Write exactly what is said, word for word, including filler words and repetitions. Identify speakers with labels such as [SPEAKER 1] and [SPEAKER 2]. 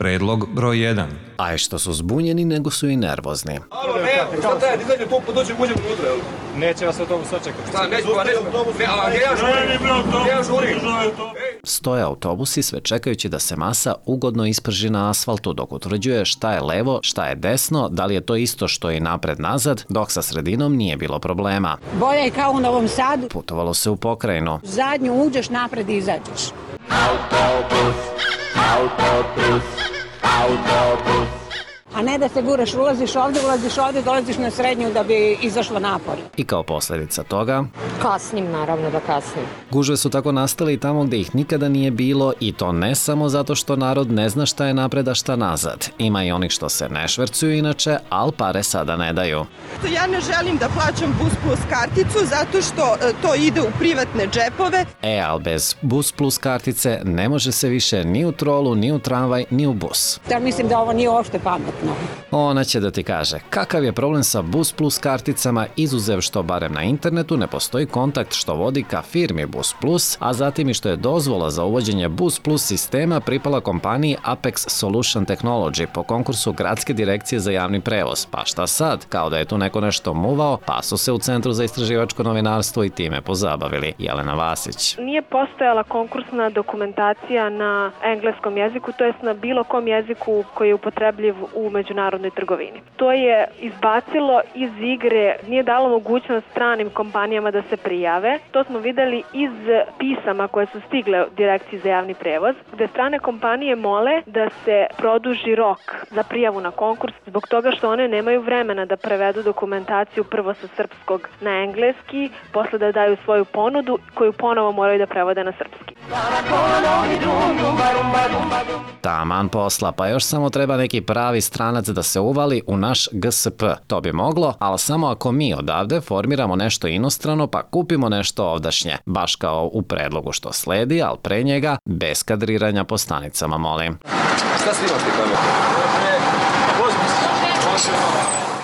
[SPEAKER 1] Predlog broj jedan.
[SPEAKER 2] A je što su zbunjeni, nego su i nervozni.
[SPEAKER 3] Alo, ne, šta taj, dizajne to dođe uđemo unutra, jel?
[SPEAKER 4] Neće vas autobus očekati.
[SPEAKER 3] Šta, neće, pa neće, ne, ali gdje ja žurim? Gdje ja žurim?
[SPEAKER 2] Stoje autobusi sve čekajući da se masa ugodno isprži na asfaltu dok utvrđuje šta je levo, šta je desno, da li je to isto što i napred-nazad, dok sa sredinom nije bilo problema.
[SPEAKER 5] Bolje je kao u Novom Sadu.
[SPEAKER 2] Putovalo se u pokrajinu.
[SPEAKER 5] Zadnju uđeš, napred izađeš.
[SPEAKER 6] Autobus, autobus, autobus.
[SPEAKER 5] A ne da se guraš, ulaziš ovde, ulaziš ovde, dolaziš na srednju da bi izašla napolje.
[SPEAKER 2] I kao posljedica toga...
[SPEAKER 7] Kasnim, naravno da kasnim.
[SPEAKER 2] Gužve su tako nastale i tamo gde ih nikada nije bilo i to ne samo zato što narod ne zna šta je napred, a šta nazad. Ima i onih što se ne švercuju inače, al pare sada ne daju.
[SPEAKER 8] Ja ne želim da plaćam Bus Plus karticu zato što to ide u privatne džepove.
[SPEAKER 2] E, al bez Bus Plus kartice ne može se više ni u trolu, ni u tramvaj, ni u bus.
[SPEAKER 5] Ja mislim da ovo nije uopšte pametno.
[SPEAKER 2] Ona će da ti kaže kakav je problem sa Bus Plus karticama, izuzev što barem na internetu ne postoji kontakt što vodi ka firmi Bus Plus, a zatim i što je dozvola za uvođenje Bus Plus sistema pripala kompaniji Apex Solution Technology po konkursu Gradske direkcije za javni prevoz. Pa šta sad? Kao da je tu neko nešto muvao, pa su se u Centru za istraživačko novinarstvo i time pozabavili. Jelena Vasić.
[SPEAKER 9] Nije postojala konkursna dokumentacija na engleskom jeziku, to jest na bilo kom jeziku koji je upotrebljiv u međunarodnoj trgovini. To je izbacilo iz igre, nije dalo mogućnost stranim kompanijama da se prijave. To smo videli iz pisama koje su stigle u Direkciji za javni prevoz, gde strane kompanije mole da se produži rok za prijavu na konkurs zbog toga što one nemaju vremena da prevedu dokumentaciju prvo sa srpskog na engleski, posle da daju svoju ponudu koju ponovo moraju da prevode na srpski.
[SPEAKER 2] Taman posla, pa još samo treba neki pravi stranac da se uvali u naš G S P. To bi moglo, ali samo ako mi odavde formiramo nešto inostrano pa kupimo nešto ovdašnje. Baš kao u predlogu što sledi, ali pre njega bez kadriranja po stanicama, molim.
[SPEAKER 3] Šta snimaš ti tamo? Može, može.